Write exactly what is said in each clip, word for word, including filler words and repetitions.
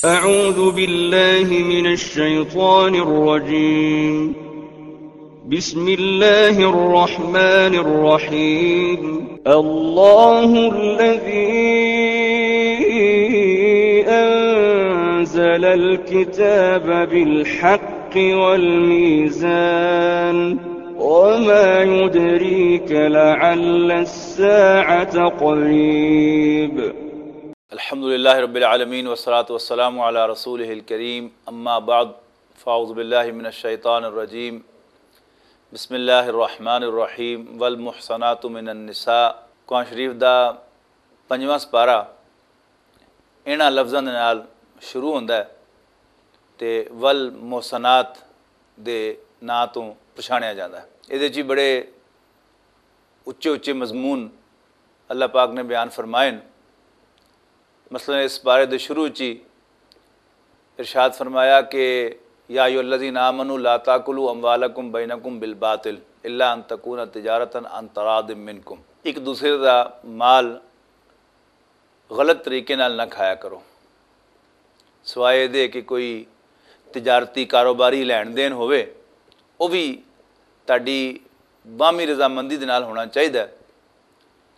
أعوذ بالله من الشيطان الرجيم. بسم الله الرحمن الرحيم. الله الذي أنزل الكتاب بالحق والميزان. وما يدريك لعل الساعة قريب. الحمد لله رب العالمين، والصلاة والسلام على رسوله الكريم، أما بعد، فأعوذ بالله من الشيطان الرجيم، بسم الله الرحمن الرحيم، والمحصنات من النساء۔ قرآن شریف دا پنجواں سپارہ انہاں لفظاں دے نال شروع ہوندا ہے تے والمحصنات دے ناں توں پچھانیا جاندا ہے۔ اے دے چی بڑے اچے اچے مضمون اللہ پاک نے بیان فرمائے۔ مثلاً اس بارے دے شروع چی ارشاد فرمایا کہ یا ایھا الذین آمنوا لا تاکلوا اموالکم بینکم بالباطل الا ان تکون تجارتا عن تراض منکم۔ ایک دوسرے دا مال غلط طریقے نال نہ کھایا کرو، سوائے دے کہ کوئی تجارتی کاروباری لین دین ہوئے، وہ بھی تہاڈی باہمی رضامندی دے نال ہونا چاہیدا ہے۔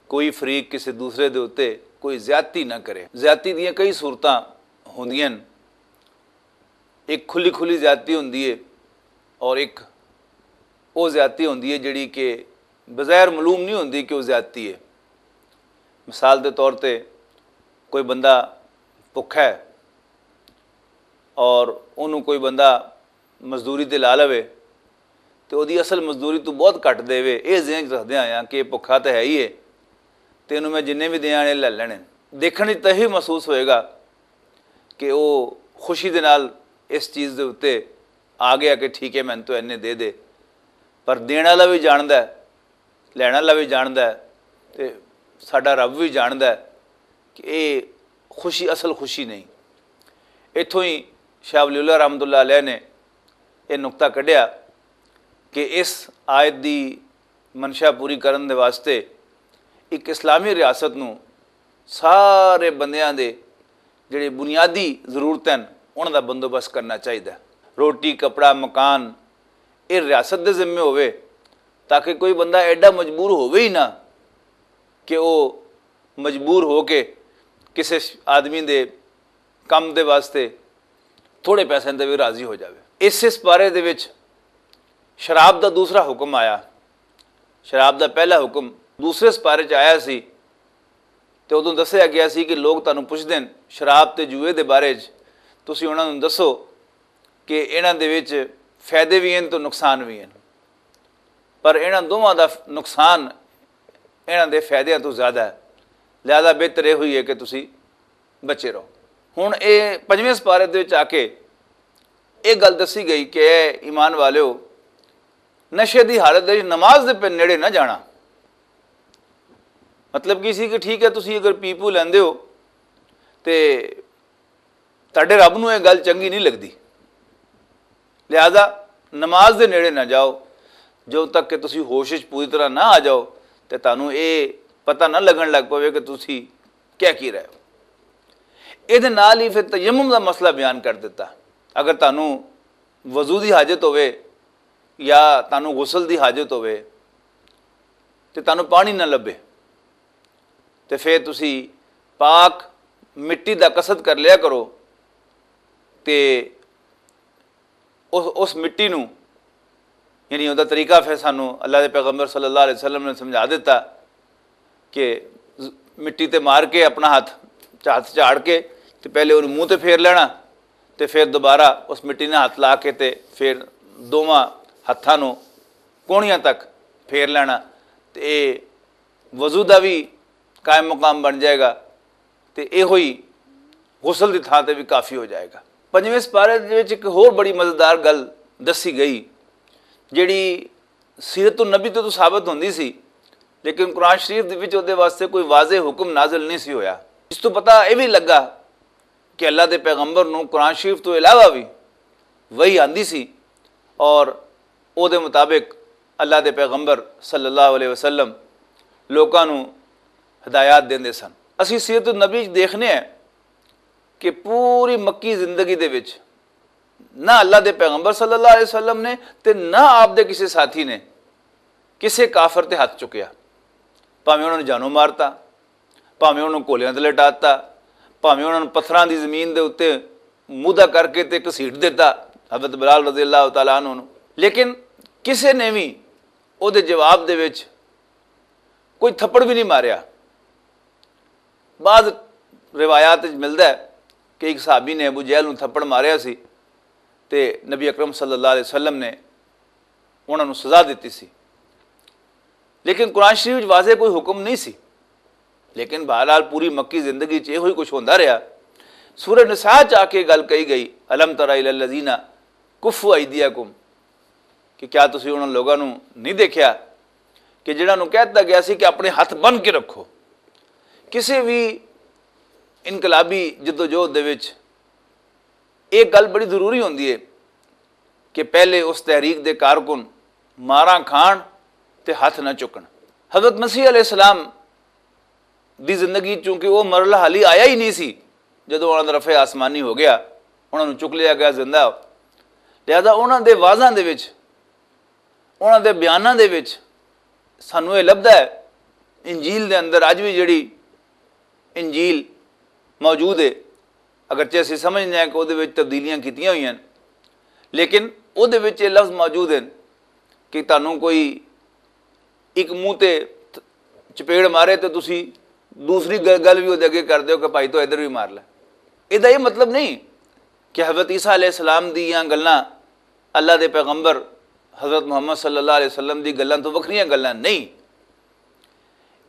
کوئی فریق کسے دوسرے دے اُتے کوئی زیادتی نہ کرے۔ زیادتی دیاں کئی صورتاں ہوندیاں ہن۔ ایک کھلی کھلی زیادتی ہوندی ہے اور ایک وہ زیادتی ہوندی ہے جڑی کہ بظاہر معلوم نہیں ہوندی کہ وہ زیادتی ہے۔ مثال دے طور تے کوئی بندہ بھکھا ہے اور انہوں کوئی بندہ مزدوری تے لا لوے تے او دی اصل مزدوری تو بہت گھٹ دے وے، اے ذہن چ رکھدے آیا کہ بھکھا تے ہے ہی ہے تے انہوں میں جنہیں بھی دیاں نے لے لینے۔ دیکھنے تے ہی محسوس ہوئے گا کہ او خوشی دے نال اس چیز دے اُتے آ گیا کہ ٹھیک ہے، میں تو اینے دے دے۔ پر دین والا بھی جاندا ہے، لینا لا بھی جاندا ہے تے ساڈا رب بھی جاندا ہے کہ اے خوشی اصل خوشی نہیں۔ اتھوں ہی شاہ ولی اللہ رحمۃ اللہ علیہ نے یہ نقطہ کڈیا کہ اس آیت دی منشا پوری کرن دے واسطے ایک اسلامی ریاست نوں سارے بندیاں دے جڑے بنیادی ضرورت ہیں، انہاں دا بندوبست کرنا چاہیدا ہے۔ روٹی، کپڑا، مکان، یہ ریاست دے ذمے ہوئے، تاکہ کوئی بندہ ایڈا مجبور ہوئے ہی نہ کہ وہ مجبور ہو کے کسے آدمی دے کم دے واسطے تھوڑے پیسے دے بھی راضی ہو جاوے۔ اس اس بارے دے وچ شراب دا دوسرا حکم آیا۔ شراب دا پہلا حکم دوسرے سپارے چ آیا سی تے ادوں دسیا گیا سی کہ لوگ تانوں پوچھدے نے شراب تے جوئے دے بارے چ، تسی انہاں نوں دسو کہ انہاں دے وچ فائدے وی ہن تے نقصان وی ہن، پر انہاں دوواں دا نقصان انہاں دے فائدیاں توں زیادہ ہے۔ لہذا بہتر یہ ہوئی ہے کہ تسی بچے رہو۔ ہن اے پنجویں سپارے دے وچ آ کے اے گل دسی گئی کہ اے ایمان والیو، نشے دی حالت دے وچ نماز دے پہ نیڑے نہ جانا۔ مطلب کی سی کہ ٹھیک ہے، تسی اگر پی پو لیندے ہو تے تہاڈے رب نوں اے گل چنگی نہیں لگدی، لہذا نماز دے نیڑے نہ جاؤ۔ جو تک کہ تسی ہوش وچ پوری طرح نہ آ جاؤ تے تانوں اے پتہ نہ لگن لگ پوے کہ تسی کہہ کی رہے ہو۔ اے دے نال ہی پھر تیمم دا مسئلہ بیان کر دتا۔ اگر تانوں وضو دی حاجت ہوے یا تانوں غسل دی حاجت ہوے تے تانوں پانی نہ لبے، تے پھر تسی پاک مٹی دا قصد کر لیا کرو تے اس، اس مٹی نوں، یعنی اوندا طریقہ پھر سانوں اللہ دے پیغمبر صلی اللہ علیہ وسلم نے سمجھا دتا کہ ز-، مٹی تے مار کے اپنا ہاتھ، ہاتھ جھاڑ کے تے پہلے اونوں منہ تے پھیر لینا تے پھر دوبارہ اس مٹی نے ہاتھ لا کے تے پھر دوواں ہتھاں نوں کونیاں تک پھیر لینا تے اے وضو دا بھی قائم مقام بن جائے گا تے ایہو ہی غسل دی تھاں تے بھی کافی ہو جائے گا۔ پنجویں سپارے دے وچ ایک ہور بڑی مزیدار گل دسی گئی، جڑی سیرت النبی تو، تو ثابت ہوندی سی، لیکن قرآن شریف دے وچ اودے واسطے کوئی واضح حکم نازل نہیں سی ہویا۔ اس تو پتہ اے بھی لگا کہ اللہ دے پیغمبر نوں قرآن شریف تو علاوہ بھی وحی آندی سی اور او دے مطابق اللہ دے پیغمبر صلی اللہ علیہ وسلم لوکاں نوں ہدایات دیندے سن۔ اسی سیرت النبی وچ دیکھنے ہیں کہ پوری مکی زندگی دے وچ نہ اللہ دے پیغمبر صلی اللہ علیہ وسلم نے تے نہ آپ دے کسے ساتھی نے کسے کافر تے ہاتھ چکیا۔ بھاویں انہاں نوں جانوں مارتا، بھاویں انہاں نوں گولیاں تے لٹاتا، بھاویں انہاں نوں پتھراں دی زمین دے اُتے مودھا کر کے تے گھسیٹ دیتا، حضرت بلال رضی اللہ تعالیٰ عنہ نوں۔ لیکن کسے نے وی او دے جواب دے وچ کوئی تھپڑ وی نہیں ماریا۔ بعض روایات وچ ملدا ہے کہ ایک صحابی نے ابو جہل نوں تھپڑ ماریا سی تے نبی اکرم صلی اللہ علیہ وسلم نے انہاں نوں سزا دتی سی۔ لیکن قرآن شریف وچ واضح کوئی حکم نہیں سی۔ لیکن بہرحال پوری مکی زندگی چ ایہو ہی کچھ ہوندا رہیا۔ سورہ نساء چ آ کے گل کہی گئی، الم تر الی الذین کفوا ایدیکم، کہ کیا تسی انہاں لوگاں نوں نہیں دیکھیا کہ جنہاں نوں کہہ دتا گیا سی کہ اپنے ہاتھ بن کے رکھو؟ کسی بھی انقلابی جدوجہد دے وچ ایک گل بڑی ضروری ہوندی ہے کہ پہلے اس تحریک دے کارکن ماراں کھان تے ہاتھ نہ چکن۔ حضرت مسیح علیہ السلام دی زندگی چونکہ وہ مرحلہ حالی آیا ہی نہیں سی، جدوں انہاں دا رفع آسمانی ہو گیا، انہاں نوں چک لیا گیا زندہ۔ لہذا انہاں دے وعظاں دے وچ، انہاں دے بیاناں دے وچ سانوں یہ لبھدا ہے، انجیل دے اندر اج بھی جڑی انجیل موجود ہے، اگرچہ اسی سمجھنے ہیں کہ وہ دے وچ تبدیلیاں کیتیاں ہوئی ہیں، لیکن وہ دے وچ یہ لفظ موجود ہیں کہ تانوں کوئی ایک منہ تے چپیڑ مارے تے تسی دوسری گل گل بھی وہ دے اگے کر دیو کہ بھائی تو ادھر بھی مار لے۔ یہ دا یہ مطلب نہیں کہ حضرت عیسیٰ علیہ السلام دی یا گلاں، اللہ دے پیغمبر حضرت محمد صلی اللہ علیہ وسلم دی گلاں تو وکھریاں گلاں نہیں۔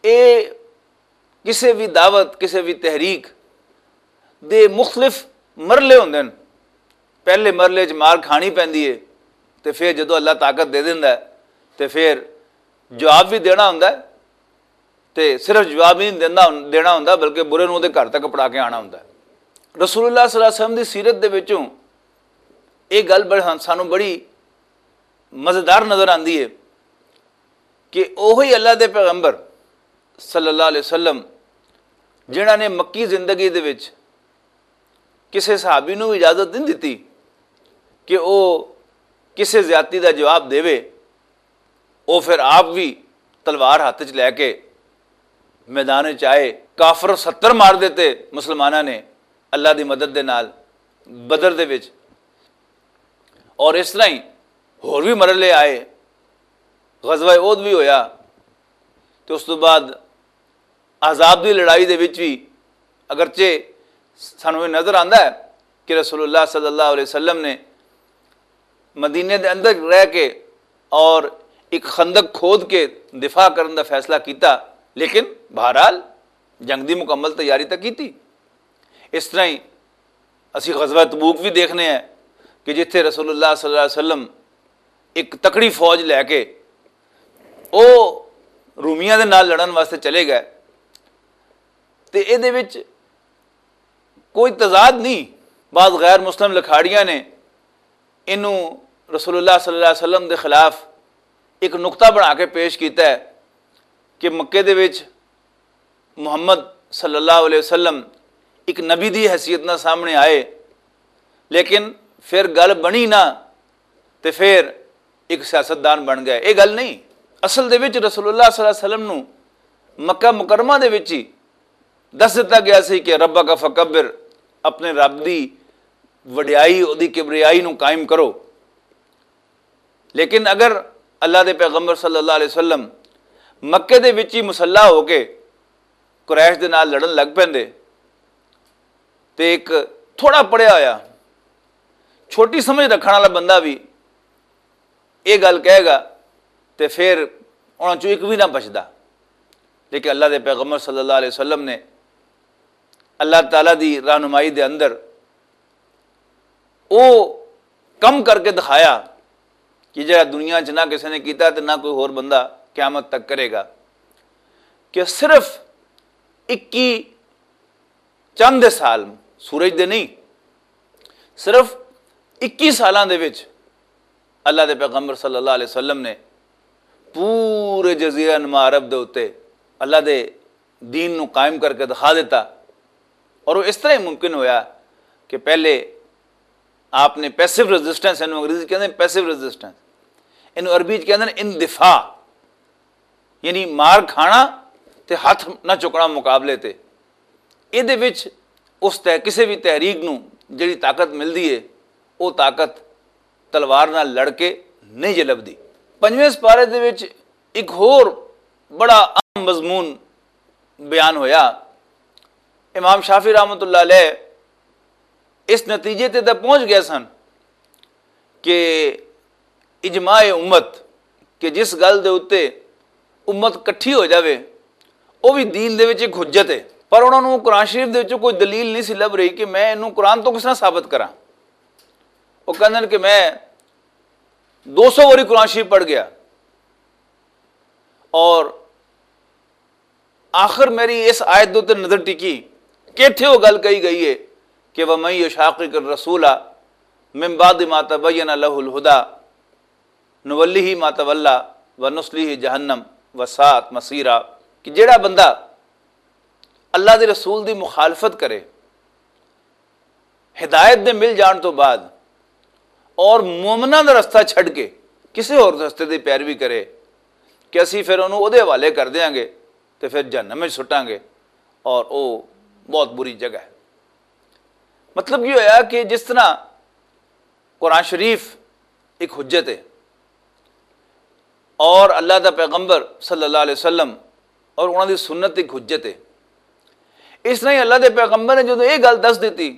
اے کسے بھی دعوت، کسے بھی تحریک دے مختلف مرحلے ہوندے نے۔ پہلے مرحلے چ مار کھانی پیندی ہے، تے پھر جدوں اللہ طاقت دے دیندا ہے، تے پھر جواب بھی دینا ہوندا ہے، تے صرف جواب ہی نہیں دینا، دینا ہوندا، بلکہ برے نوں دے گھر تک پڑا کے آنا ہوندا ہے۔ رسول اللہ صلی اللہ علیہ وسلم دی سیرت دے وچوں یہ گل بڑ-، سانوں بڑی مزیدار نظر آندی ہے کہ اوہی اللہ دے پیغمبر صلی اللہ علیہ وسلم، جنہاں نے مکی زندگی دے وچ کسے صحابی نوں بھی اجازت نہیں دتی کہ او کسے زیادتی دا جواب دیوے، او پھر آپ بھی تلوار ہاتھ وچ لے کے میدان وچ آئے۔ کافر ستر مار دیتے مسلماناں نے اللہ دی مدد دے نال بدر دے وچ۔ اور اس طرح ہی ہور بھی مرحلے آئے، غزوہ احد بھی ہویا، تے اس تو بعد احزاب دی لڑائی دے وچ بھی، اگرچہ سانوں یہ نظر آندا ہے کہ رسول اللہ صلی اللہ علیہ وسلم نے مدینے دے اندر رہ کے اور ایک خندق کھود کے دفاع کرن دا فیصلہ کیتا، لیکن بہرحال جنگ دی مکمل تیاری تاں کیتی۔ اس طرح ہی اسی غزوہ تبوک بھی دیکھنے ہیں کہ جتھے رسول اللہ صلی اللہ علیہ وسلم ایک تکڑی فوج لے کے او رومیاں دے نال لڑن واسطے چلے گئے، تے اے دے وچ کوئی تضاد نہیں۔ بعض غیر مسلم لکھاڑیاں نے اینوں رسول اللہ صلی اللہ علیہ وسلم دے خلاف ایک نقطہ بنا کے پیش کیتا ہے کہ مکے دے وچ محمد صلی اللہ علیہ وسلم ایک نبی دی حیثیت نال سامنے آئے، لیکن پھر گل بنی نہ، تے پھر ایک سیاستدان بن گئے۔ یہ گل نہیں، اصل دے وچ رسول اللہ صلی اللہ علیہ وسلم نوں مکہ مکرمہ دے وچ ہی دس دتا گیا سی کہ ربک فکبر، اپنے رب دی وڈیائی، دی کبریائی نوں قائم کرو۔ لیکن اگر اللہ دے پیغمبر صلی اللہ علیہ وسلم مکے دے وچ ہی مسلح ہو کے قریش دے نال لڑن لگ پیندے، تے ایک تھوڑا پڑھیا ہویا، چھوٹی سمجھ رکھن والا بندہ بھی یہ گل کہے گا، تے پھر انہاں چوں ایک بھی نہ بچدا۔ لیکن اللہ دے پیغمبر صلی اللہ علیہ وسلم نے اللہ تعالیٰ دی رہنمائی دے اندر او کم کر کے دکھایا کہ جڑا دنیا چ نہ کسی نے کیتا تے نہ کوئی ہور بندہ قیامت تک کرے گا، کہ صرف اکی چند سال، سورج دے نہیں، صرف اکی سالاں دے وچ اللہ دے پیغمبر صلی اللہ علیہ وسلم نے پورے جزیرہ نما عرب دے اُتے اللہ دے دین نوں قائم کر کے دکھا دیتا۔ اور وہ اس طرح ہی ممکن ہویا کہ پہلے آپ نے پیسو ریزسٹنس، اینوں انگریزی کہندے پیسو ریزسٹنس، اینوں عربی چ کہندے اندفاع، یعنی مار کھانا تے ہاتھ نہ چکنا مقابلے تے۔ ایہدے وچ اس تے کسے بھی تحریک نوں جڑی طاقت ملدی ہے، وہ طاقت تلوار نال لڑ کے نہیں جے لبدی۔ پنجویں سپارے دے وچ ایک ہور بڑا اہم مضمون بیان ہویا۔ امام شافعی رحمۃ اللہ علیہ اس نتیجے تے تاں پہنچ گئے سن کہ اجماع امت، کہ جس گل دے اُتے امت کٹھی ہو جاوے، وہ بھی دین دے وچ ایک حجت ہے۔ پر انہاں نوں قرآن شریف دے وچوں کوئی دلیل نہیں سی لب رہی کہ میں اینوں قرآن تو کس طرح ثابت کراں۔ وہ کہندے نے کہ میں دو سو واری قرآن شریف پڑھ گیا اور آخر میری اس آیت دے اُتے نظر ٹکی کہ اتھے وہ گل کہی گئی ہے کہ وَمَن يُشَاقِقِ الرَّسُولَ مِن بَعْدِ مَا تَبَيَّنَ لَهُ الْهُدَى نُوَلِّهِ مَا تَوَلَّى وَنُصْلِهِ جَهَنَّمَ وَسَاءَتْ مَصِيرًا، کہ جڑا بندہ اللہ دے رسول دی مخالفت کرے ہدایت دے مل جان تو بعد اور مومناں دا رستہ چھڈ کے کسے ہور رستے دی پیروی کرے کہ اسی پھر انہوں اودے حوالے کر دیاں گے تے پھر جہنم وچ سٹاں گے، اور او بہت بری جگہ ہے۔ مطلب یہ ہویا کہ جس طرح قرآن شریف ایک حجت ہے اور اللہ دا پیغمبر صلی اللہ علیہ وسلم اور انہاں دی سنت ایک حجت ہے، اس طرح ہی اللہ دے پیغمبر نے جدوں یہ گل دس دتی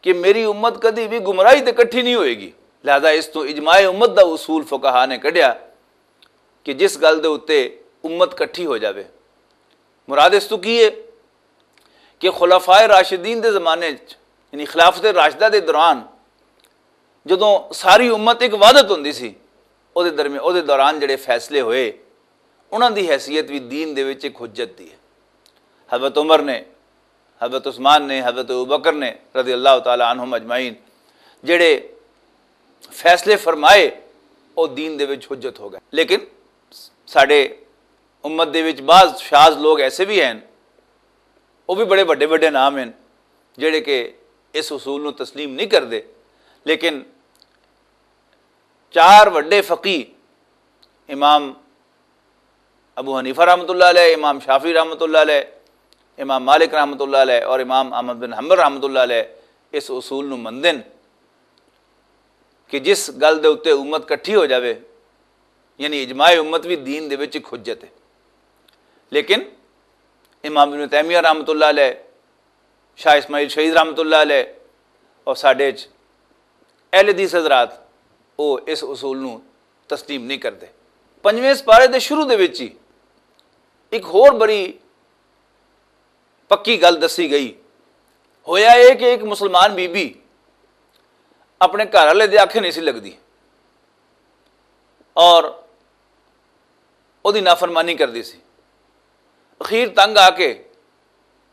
کہ میری امت کدی بھی گمراہی تے کٹھی نہیں ہوئے گی، لہذا اس تو اجماع امت دا اصول فقہا نے کڈیا کہ جس گل دے اُتے امت کٹھی ہو جاوے۔ مراد اس تو کی ہے کہ خلفائے راشدین دے زمانے چ، یعنی خلافت راشدہ دے دوران، جدوں ساری امت ایک وحدت ہوندی سی، او دے درمیان، او دے دوران جڑے فیصلے ہوئے، انہاں دی حیثیت بھی دین دے وچ ایک حجت دی ہے۔ حضرت عمر نے، حضرت عثمان نے، حضرت ابوبکر نے رضی اللہ تعالی عنہم اجمعین جڑے فیصلے فرمائے، او دین دے وچ حجت ہو گئے۔ لیکن ساڈے امت دے وچ بعض شاذ لوگ ایسے بھی ہیں، وہ بھی بڑے وڈے وڈے نام ہیں، جڑے کہ اس اصول نو تسلیم نہیں کردے۔ لیکن چار وڈے فقی، امام ابو حنیفہ رحمۃ اللہ علیہ، امام شافعی رحمۃ اللہ علیہ، امام مالک رحمۃ اللہ علیہ اور امام احمد بن حنبل رحمۃ اللہ علیہ، اس اصول نو مندن کہ جس گل دے اُتے امت کٹھی ہو جاوے، یعنی اجماع امت بھی دین دے وچ ایک حجت ہے۔ لیکن امام ابن تیمیہ رحمۃ اللہ علیہ، شاہ اسماعیل شہید رحمۃ اللہ علیہ اور ساڈے چ اہل حدیث حضرات، وہ اس اصول نو تسلیم نہیں کردے۔ پنجویں سپارے دے شروع دے وچ ہی ایک ہور بڑی پکی گل دسی گئی۔ ہویا یہ کہ ایک مسلمان بی بی اپنے گھر والے دے آکھے نہیں سی لگدی اور اودی نافرمانی کردی سی۔ اخیر تنگ آ کے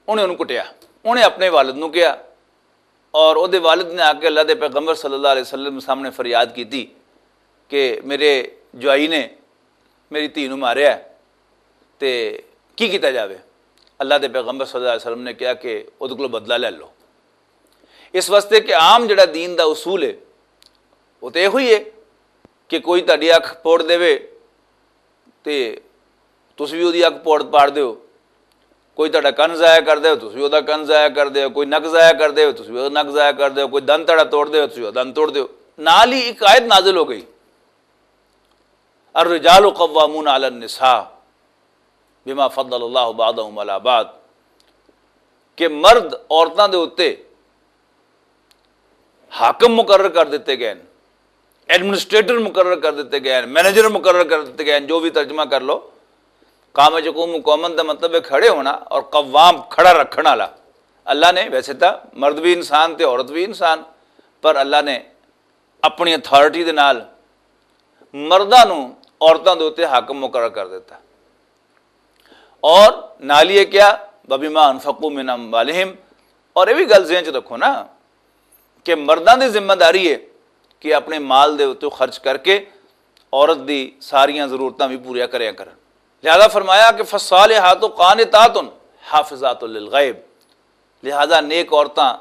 انہیں انہوں کٹیا۔ انہیں اپنے والد نو کیا اور اودے والد نے آ کے اللہ دے پیغمبر صلی اللہ علیہ وسلم سامنے فریاد کیتی کہ میرے جوائی نے میری دھی نو ماریا ہے، تے کی کیتا جاوے؟ اللہ دے پیغمبر صلی اللہ علیہ وسلم نے کہا کہ اودے کولوں بدلہ لے لو۔ اس واسطے کہ عام جڑا دین دا اصول ہے، وہ تے ایہو ہی ہے کہ کوئی تہاڈی اکھ پوڑ دیوے تے تسی بھی اودی اکھ پوڑ پاڑ دیو۔ کوئی تہاڈا کن ضائع کر دیو، تسی بھی اودے کن ضائع کر دیو۔ کوئی نک ضائع کر دیو، تسی بھی اودے نک ضائع کر دیو۔ کوئی دن تہاڈا توڑ دیو، تسی اودے دن توڑ دیو۔ نال ہی ایک آیت نازل ہو گئی، الرجال قوامون علی النساء بما فضل اللہ بعضهم علی بعض، کہ مرد عورتاں دے اُتے حاکم مقرر کر دتے گئے ہیں، ایڈمنسٹریٹر مقرر کر دتے گئے ہیں، مینیجر مقرر کر دتے گئے ہیں، جو بھی ترجمہ کر لو۔ قام یقوم قومن دا مطلب ہے کھڑے ہونا، اور قوام کھڑا رکھن والا۔ اللہ نے، ویسے تو مرد بھی انسان تے عورت بھی انسان، پر اللہ نے اپنی اتھارٹی دے نال مرداں نوں عورتاں دے اُتے حاکم مقرر کر دتا۔ اور نال یہ کیا، وَبِمَا أَنفَقُوا مِنْ أَمْوَالِهِمْ، اور یہ بھی گل ذہن چ رکھو نا کہ مرداں دی ذمہ داری ہے کہ اپنے مال دے اُتے خرچ کر کے عورت دی ساریاں ضرورتاں بھی پوریاں کریا کرن۔ لہذا فرمایا کہ فالصالحات قانتات حافظات للغیب، لہذا نیک عورتاں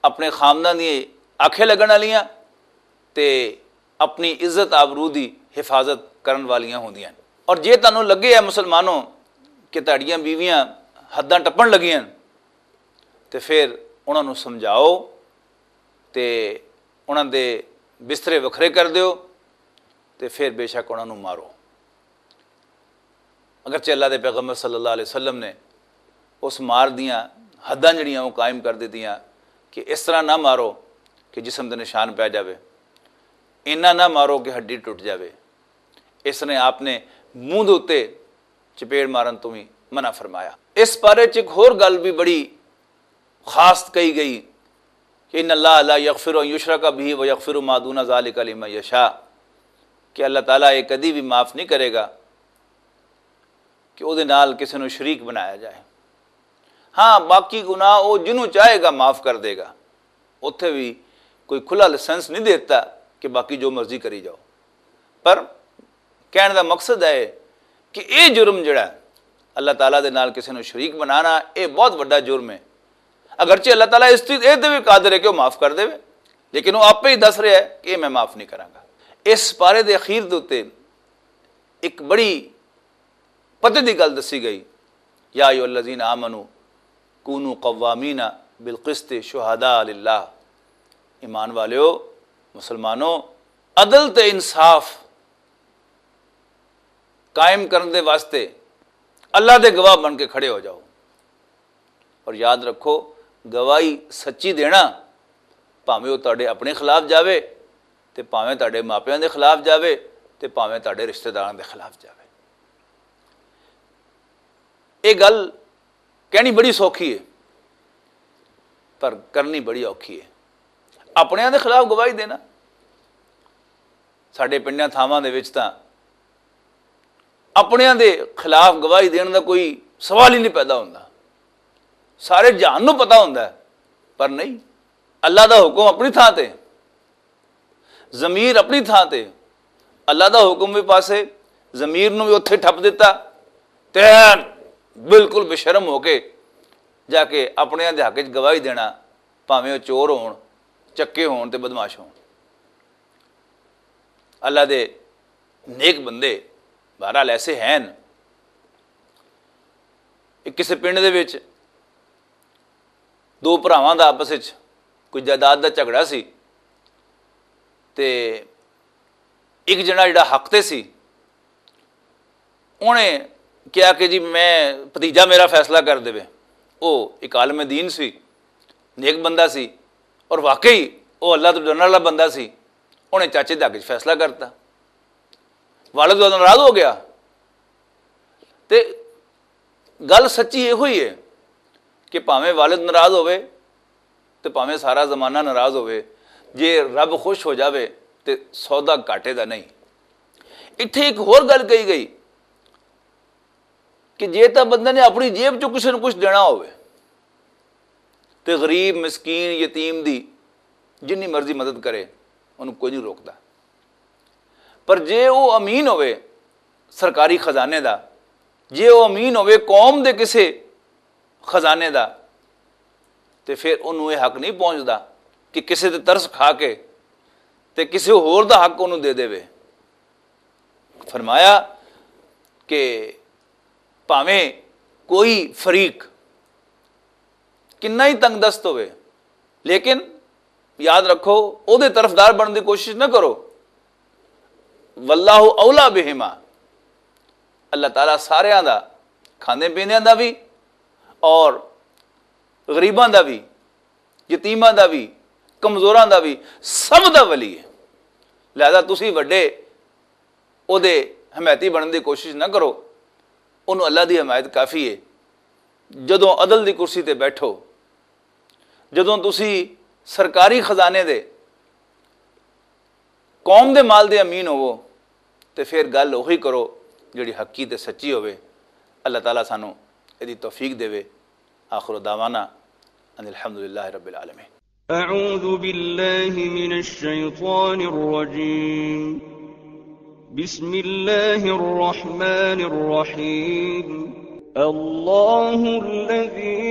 اپنے خامداں دی آنکھیں لگن والیاں تے اپنی عزت آبرو دی حفاظت کرن والیاں ہوندیاں ہن۔ اور جے تانوں لگے ہے مسلمانوں کہ تہاڈیاں بیویاں حداں ٹپن لگیاں ہن، تے پھر انہاں نوں سمجھاؤ تے انہاں دے بسترے وکھرے کر دیو تے پھر بے شک انہاں نوں مارو۔ اگرچہ اللہ دے پیغمبر صلی اللہ علیہ وسلم نے اس مار دیاں حداں جڑیاں وہ قائم کر دتیاں کہ اس طرح نہ مارو کہ جسم دے نشان پی جاوے، اینا نہ مارو کہ ہڈی ٹوٹ جاوے۔ اس نے آپ نے منہ دے اُتے چپیڑ مارن تو بھی منع فرمایا۔ اس بارے چ ایک ہور گل بھی بڑی خاص کہی گئی کہ ان اللہ لا یغفر ان یشرک بہ و یغفر ما دون ذالک لمن یشاء، کہ اللہ تعالیٰ یہ کدی بھی معاف نہیں کرے گا کہ او دے نال کسے نوں شریک بنایا جائے۔ ہاں، باقی گناہ او جنوں چاہے گا معاف کر دے گا۔ اوتھے بھی کوئی کھلا لائسنس نہیں دیتا کہ باقی جو مرضی کری جاؤ۔ پر کہنے دا مقصد ہے کہ اے جرم جڑا ہے، اللہ تعالیٰ دے نال کسے نوں شریک بنانا، اے بہت وڈا جرم ہے۔ اگرچہ اللہ تعالیٰ اس چیز اے تے بھی قادر ہے کہ وہ معاف کر دے، لیکن وہ آپ ہی دس رہا ہے کہ اے میں معاف نہیں کراں گا۔ اس پارے دے اخیر دے اُتے ایک بڑی پتے دی گل دسی گئی، یا ایھا الذین آمنوا کونوا قوامین بالقسط شہداء للہ۔ ایمان والیو، مسلمانوں، عدل تے انصاف قائم کرن دے واسطے اللہ دے گواہ بن کے کھڑے ہو جاؤ۔ اور یاد رکھو، گواہی سچی دینا، بھاویں وہ تہاڈے اپنے خلاف جاوے، تے بھاویں تہاڈے ماپیاں دے خلاف جاوے، تے بھاویں تہاڈے رشتہ داراں دے خلاف جاوے۔ یہ گل کہنی بڑی سوکھی ہے، پر کرنی بڑی اوکھی ہے۔ اپنیاں دے خلاف گواہی دینا، ساڈے پنڈیاں تھاواں دے وچ تاں اپنیاں دے خلاف گواہی دین دا کوئی سوال ہی نہیں پیدا ہوندا۔ سارے جہان نوں پتہ ہوندا ہے، پر نہیں، اللہ دا حکم اپنی تھاں تے، ضمیر اپنی تھاں تے، اللہ دا حکم بھی پاسے، ضمیر نوں بھی اوتھے ٹھپ دتا، تے بالکل بے شرم ہو کے جا کے اپنیاں دے حق وچ گواہی دینا، بھاویں او چور ہون، چکے ہون تے بدمعاش ہون۔ اللہ دے نیک بندے بہرحال ایسے ہیں۔ ایک کسے پنڈ دے وچ دو بھراواں دا آپس وچ کوئی جائیداد دا جھگڑا سی، تے ایک جنا جڑا حق تے سی، انہیں کہا کہ جی میں، بھتیجا میرا فیصلہ کر دے۔ او ایک عالم دین سی، نیک بندہ سی، اور واقعی او اللہ تو ڈرنے والا بندہ سی۔ انہیں چاچے دے حق وچ فیصلہ کرتا۔ والد ناراض ہو گیا۔ تے گل سچی یہ ہوئی ہے کہ بھاویں والد ناراض ہوئے تے بھاویں سارا زمانہ ناراض ہوئے، جے رب خوش ہو جاوے تے سودا گھاٹے دا نہیں۔ اتھے ایک ہور گل کہی گئی کہ جے تاں بندے نے اپنی جیب چوں کسے نوں کچھ دینا ہوئے تے غریب، مسکین، یتیم دی جنی مرضی مدد کرے، انہوں کوئی نہیں روکدا۔ پر جے او امین ہوئے سرکاری خزانے دا، جے او امین ہوئے قوم دے کسے خزانے دا، تے پھر انہوں یہ حق نہیں پہنچدا کہ کسے تے ترس کھا کے تے کسے ہور دا حق انہوں دے دے۔ فرمایا کہ بھاویں کوئی فریق کنا ہی تنگ دست ہوئے، لیکن یاد رکھو، او دے طرفدار بننے دی کوشش نہ کرو۔ واللہ اولا بہما، اللہ تعالیٰ ساریاں دا، کھاندے پیندیاں دا بھی اور غریباں دا بھی، یتیماں دا بھی، کمزوراں دا بھی، سب دا ولی ہے۔ لہذا تسی وڈے او دے حمایتی بنن دی کوشش نہ کرو، انہوں اللہ دی حمایت کافی ہے۔ جدوں عدل دی کرسی تے بیٹھو، جدوں تسی سرکاری خزانے دے، قوم دے مال دے امین ہوو، تے پھر گل اوہی کرو جڑی حقی تے سچی ہوے۔ اللہ تعالیٰ سانو ایدی توفیق دے۔ آخر دعوانا ان الحمدللہ رب العالمین۔ أعوذ بالله من الشيطان الرجيم. بسم الله الرحمن الرحيم. الله الذي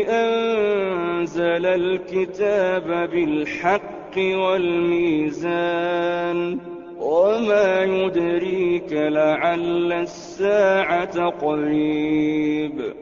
أنزل الكتاب بالحق والميزان. وما يدريك لعل الساعة قريب.